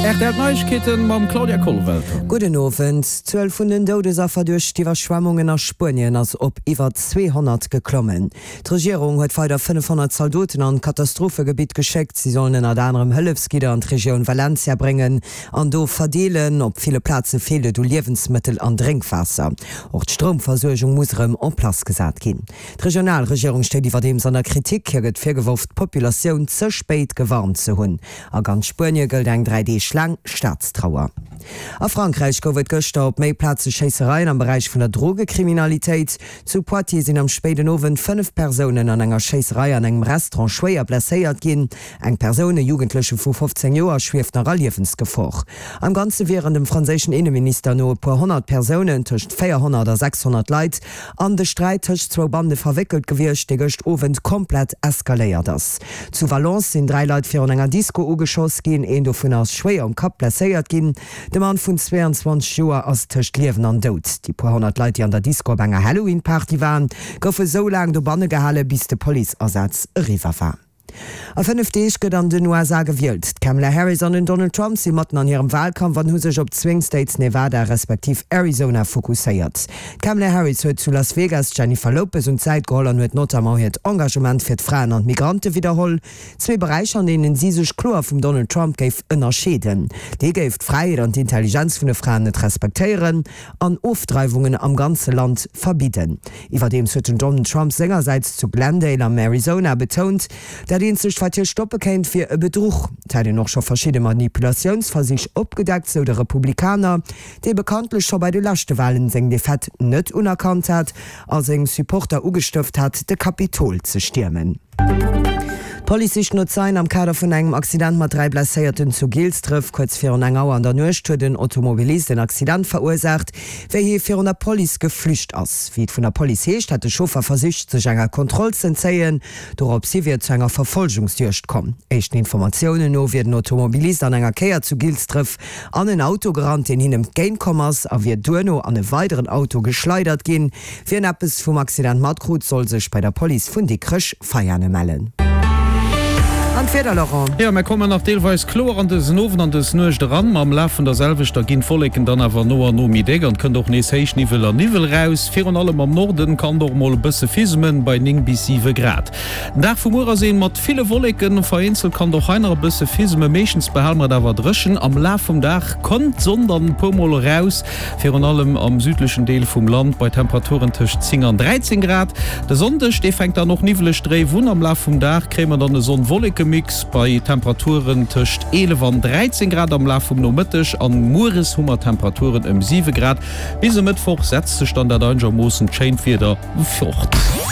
Rtl Neiegkeeten mam Claudia Kollwelter. Gudden Owend. D'Zuel vun den Doudesaffer duerch d'Iwwerschwemmungen a Spuenien ass op iwwer 200 geklommen. D'Regierung huet weider 500 Zaldoten an d'Katastrophegebitt geschéckt. Si sollen ënnert anerem Hëllefsgidder an d'Regioun Valencia bréngen an do verdeelen. Op ville Plaze feelt et u Liewensmëttel an Drénkwaasser. Och d'Stroumversuergung muss erëm en place gesat ginn. D'regional Regierung steet iwwerdeems an der Kritik. Hir gëtt virgeworf, d'Populatioun ze spéit gewarnt ze hunn. A ganz Spuenie gëllt eng 3 Deeg laang Staatstrauer. A Frankräich gouf et gëschter op méi Plaze Schéissereien am Beräich vun der Drogekriminalitéit. Zu Poitiers sinn am spéiden Owend 5 Persounen an enger Schéisserei an engem Restaurant schwéier blesséiert ginn. Eng Persoun, e Jugendleche vu 15 Joer, schwieft nach a Liewensgefor. Am Ganze wieren dem franséischen Inneminister no e puer 100 Persounen, tëscht 400 a 600 Leit, an de Sträit tëscht zwou Bande verwéckelt gewiescht, dee gëscht Owend komplett eskaléiert ass. Zu Valence sinn 3 Leit virun enger Disco ugeschoss ginn, een dovunner ass schwéier um Kapp blesséiert ginn. De Mann vun 22 Joer ass tëscht Liewen an Doud. Déi puer 100 Leit, déi an der Disco op enger Halloween-Party waren, goufe sou laang dobanne gehale bis de Policeasaz eriwwer war. A 5 Deeg gëtt an den USA gewielt. D'Kamala Harris an den Donald Trump si matten an hirem Walkampf an hu sech op d'Swing States Nevada respektiv Arizona fokusséiert. D'Kamala Harris huet zu Las Vegas d'Jennifer Lopez un d'Säit geholl an huet notamment hiert Engagement fir d'Fraen an d'Migrante widderholl. Zwee Beräicher, an deenen si sech kloer vum Donald Trump géif ënnerscheeden. Dee géif d'Fräiheet an d'Intelligenz vun de Fraen net respektéieren an Ofdreiwungen am ganze Land verbidden. Iwwerdeems huet den Donald Trump sengersäits zu Glendale am Arizona betount, dat eenzegt wat hie stoppe kéint, wier e Bedruch. Et hätt een och scho verschidde Manipulatiounsversich opgedeckt, sou de Republikaner, dee bekanntlech scho bei de leschte Walen seng Defaite net unerkannt hat a seng Supporter ugestëft hat, de Kapitol ze stiermen. D'Police sicht no Zeien am Kader vun engem Accident mat 3 Blesséierten zu Gilsdref. Kuerz virun eng Auer an der Nuecht huet en Automobilist en Accident verursaacht, wéi hie virun der Police geflücht ass. Wéi et vun der Police heescht, hätt de Chauffer versicht, sech enger Kontroll z'entzéien. Dorops hi wier et zu enger Verfolgungsjuegd komm. Éischten Informatiounen no wier den Automobilist an enger Kéier zu Gilsdref an en Auto gerannt, deen hinnem entgéint komm ass, a wier duerno an e weideren Auto geschleidert ginn. Wien eppes vum Accident matkrut, soll sech bei der Police vun Dikrech Veiane mellen. An d'Wieder, Laurent? Jo, mär kommen nach deelweis kloer an dësen Owend an dës Nuecht eran, ma am Laf vun der selwechter ginn d'Wolleken dann awer no an no méi déck an et kënnt och nees Héichniwwel a Niwwel raus. Virun allem am Norden kann et och mol e bësse fismen, bei 9 bis 7 Grad. Den Dag vu muer ass een mat ville Wolleken, vereenzelt kann et och hei nach e bësse fismen, meeschtens behale mer et awer dréchen. Am Laf vum Dag kënnt d'Sonn dann e puer mol eraus, Virun allem am südlechen Deel vum Land bei Temperaturen tëscht 10 an 13 Grad. De Sonndeg, dee fänkt dann och niwweleg dréif un. Am Laf vum Dag kréie mer dann e Sonn-Wolleke-Mix bei Temperaturen tëscht 11 an 13 Grad am Laf vum Nomëtteg an mueres hu mer Temperaturen ëm 7 Grad. Bis e Mëttwoch setzt sech dann dat einegermoossen schéint Wieder fort.